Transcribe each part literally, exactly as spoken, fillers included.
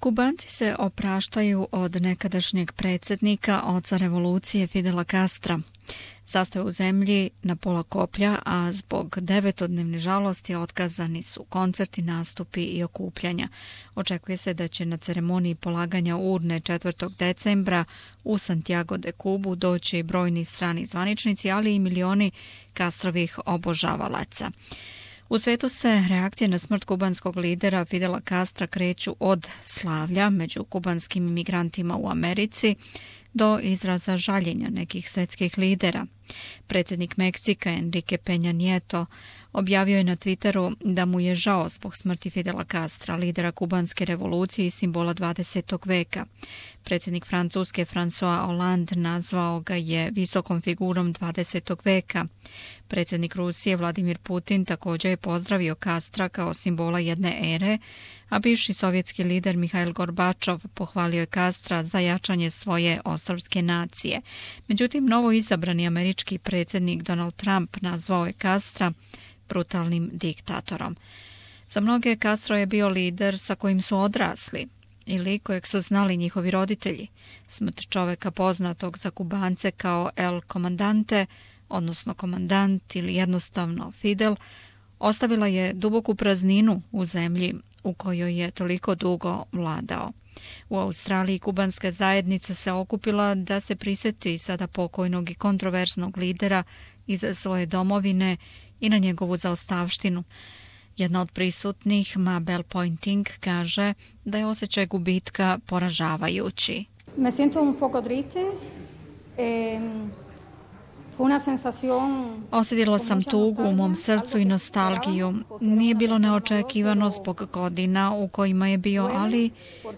Kubanci se opraštaju od nekadašnjeg predsjednika, oca revolucije Fidela Castra. Sastav u zemlji na pola koplja, a zbog devetodnevne žalosti otkazani su koncerti, nastupi i okupljanja. Očekuje se da će na ceremoniji polaganja urne četvrtog decembra u Santiago de Cubu doći brojni strani zvaničnici, ali i milioni Castrovih obožavalaca. U svetu se reakcije na smrt kubanskog lidera Fidela Castra kreću od slavlja među kubanskim imigrantima u Americi do izraza žaljenja nekih svetskih lidera. Predsjednik Meksika Enrique Peña Nieto objavio je na Twitteru da mu je žao zbog smrti Fidela Castra, lidera kubanske revolucije i simbola dvadesetog veka. Predsjednik Francuske François Hollande nazvao ga je visokom figurom dvadesetog veka. Predsjednik Rusije Vladimir Putin također je pozdravio Castra kao simbola jedne ere, a bivši sovjetski lider Mihail Gorbačov pohvalio je Castra za jačanje svoje ostrvske nacije. Međutim, novo izabrani američki predsjednik Donald Trump nazvao je Castra brutalnim diktatorom. Za mnoge Castro je bio lider sa kojim su odrasli ili kojeg su znali njihovi roditelji. Smrt čoveka poznatog za Kubance kao El Comandante, odnosno komandant ili jednostavno Fidel, ostavila je duboku prazninu u zemlji u kojoj je toliko dugo vladao. U Australiji kubanska zajednica se okupila da se prisjeti sada pokojnog i kontroverznog lidera iz svoje domovine i na njegovu zaostavštinu. Jedna od prisutnih, Mabel Pointing, kaže da je osjećaj gubitka poražavajući. Me siento un poco triste. Eh... Osjetila sam tugu u mom srcu i nostalgiju. Nije bilo neočekivano zbog godina u kojima je bio, ali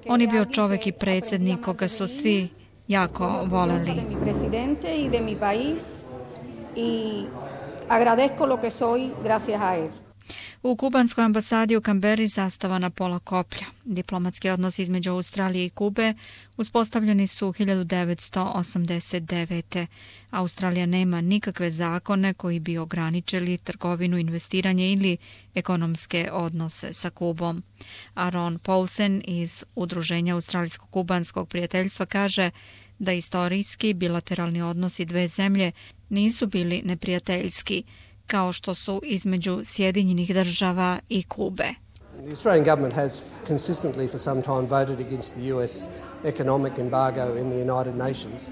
on je bio čovjek i predsjednik koga su svi jako voleli. U kubanskoj ambasadi u Kamberi zastava na pola koplja. Diplomatski odnosi između Australije i Kube uspostavljeni su hiljadu devetsto osamdeset devete. Australija nema nikakve zakone koji bi ograničili trgovinu, investiranje ili ekonomske odnose sa Kubom. Aaron Paulsen iz Udruženja Australijsko-kubanskog prijateljstva kaže da istorijski bilateralni odnosi dve zemlje nisu bili neprijateljski, kao što su između Sjedinjenih država i Kube. The Australian government has consistently for some time voted against the U S economic embargo in the United Nations.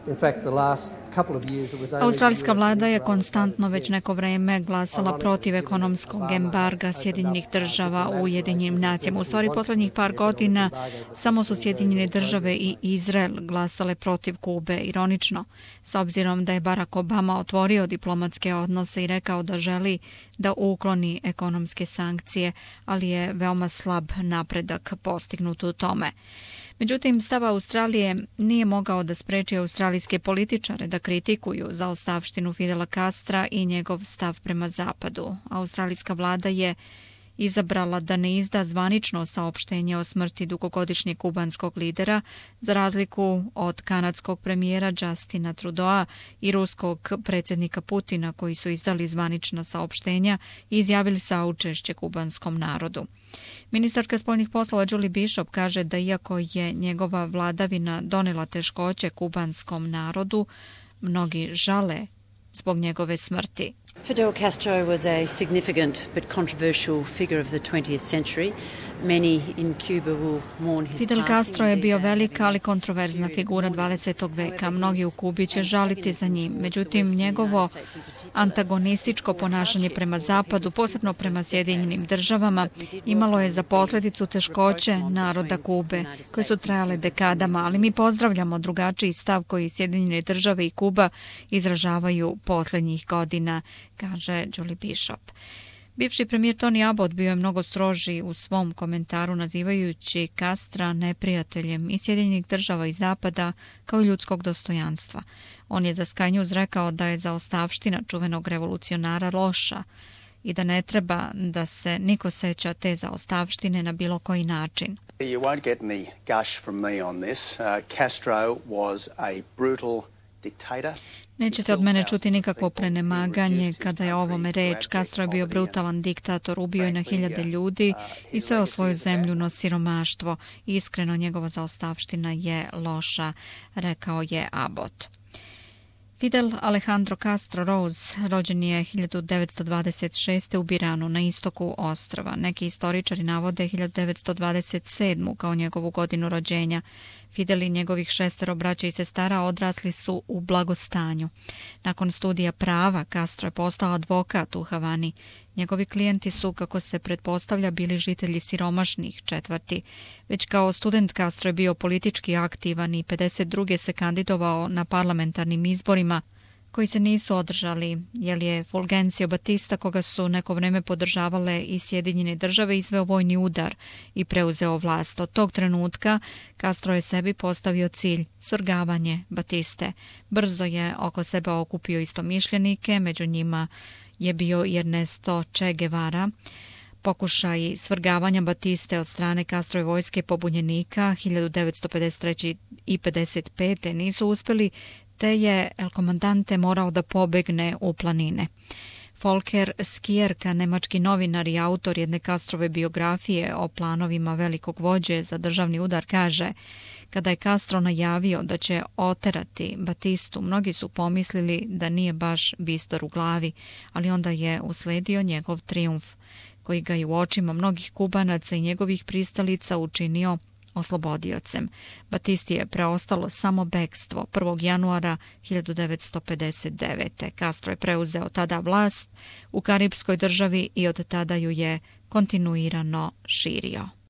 In fact, the last couple of years it was only Australijska vlada je konstantno već neko vrijeme glasala protiv ekonomskog embarga Sjedinjenih država u Ujedinjenim nacijama. U stvari, posljednjih par godina samo su Sjedinjene države i Izrael glasale protiv Kube. Ironično, s obzirom da je Barack Obama otvorio diplomatske odnose i rekao da želi da ukloni ekonomske sankcije, ali je veoma slab napredak postignut u tome. Međutim, stav Australije nije mogao da spreči australijske političare da kritikuju zaostavštinu Fidela Castra i njegov stav prema zapadu. Australijska vlada je izabrala da ne izda zvanično saopštenje o smrti dugogodišnjeg kubanskog lidera, za razliku od kanadskog premijera Justina Trudeau i ruskog predsjednika Putina, koji su izdali zvanična saopštenja i izjavili saučešće kubanskom narodu. Ministarka spoljnih poslova Julie Bishop kaže da iako je njegova vladavina donela teškoće kubanskom narodu, mnogi žale zbog njegove smrti. Fidel Castro was a significant but controversial figure of the twentieth century. Many in Cuba will mourn his Fidel Castro je bio velika, ali kontroverzna figura dvadesetog veka. Mnogi u Kubi će žaliti za njim. Međutim, njegovo antagonističko ponašanje prema zapadu, posebno prema Sjedinjenim državama, imalo je za posljedicu teškoće naroda Kube, koje su trajale dekadama, ali mi pozdravljamo drugačiji stav koji Sjedinjene države i Kuba izražavaju posljednjih godina, kaže Julie Bishop. Bivši premijer Tony Abbott bio je mnogo stroži u svom komentaru nazivajući Castra neprijateljem i Sjedinjenih država i Zapada kao i ljudskog dostojanstva. On je za Sky News rekao da je zaostavština čuvenog revolucionara loša i da ne treba da se niko seća te zaostavštine na bilo koji način. You won't get any gush from me on this. Uh, Castro was a brutal dictator. Nećete od mene čuti nikakvo prenemaganje kada je o ovome reč. Castro je bio brutalan diktator, ubio je na hiljade ljudi i sveo svoju zemlju na siromaštvo. Iskreno, njegova zaostavština je loša, rekao je Abbott. Fidel Alejandro Castro Ruz rođen je hiljadu devetsto dvadeset šeste. u Biranu na istoku ostrva. Neki istoričari navode hiljadu devetsto dvadeset sedmu. kao njegovu godinu rođenja. Fidel i njegovih šestero braća i sestara odrasli su u blagostanju. Nakon studija prava, Castro je postao advokat u Havani. Njegovi klijenti su, kako se pretpostavlja, bili žitelji siromašnih četvrti. Već kao student Castro je bio politički aktivan i pedeset druge. se kandidovao na parlamentarnim izborima koji se nisu održali, jer je Fulgencio Batista, koga su neko vreme podržavale i Sjedinjene države, izveo vojni udar i preuzeo vlast. Od tog trenutka Castro je sebi postavio cilj svrgavanje Batiste. Brzo je oko sebe okupio istomišljenike, među njima je bio i Ernesto Che Guevara. Pokušaji svrgavanja Batiste od strane Castrove vojske pobunjenika hiljadu devetsto pedeset treće. i pedeset pete. nisu uspjeli, te je El Comandante morao da pobegne u planine. Volker Skierka, nemački novinar i autor jedne Castrove biografije o planovima velikog vođe za državni udar, kaže: kada je Castro najavio da će oterati Batistu, mnogi su pomislili da nije baš bistor u glavi, ali onda je usledio njegov trijumf, koji ga je u očima mnogih Kubanaca i njegovih pristalica učinio oslobodiocem. Batisti je preostalo samo bekstvo. prvog januara hiljadu devetsto pedeset devete. Castro je preuzeo tada vlast u karipskoj državi i od tada ju je kontinuirano širio.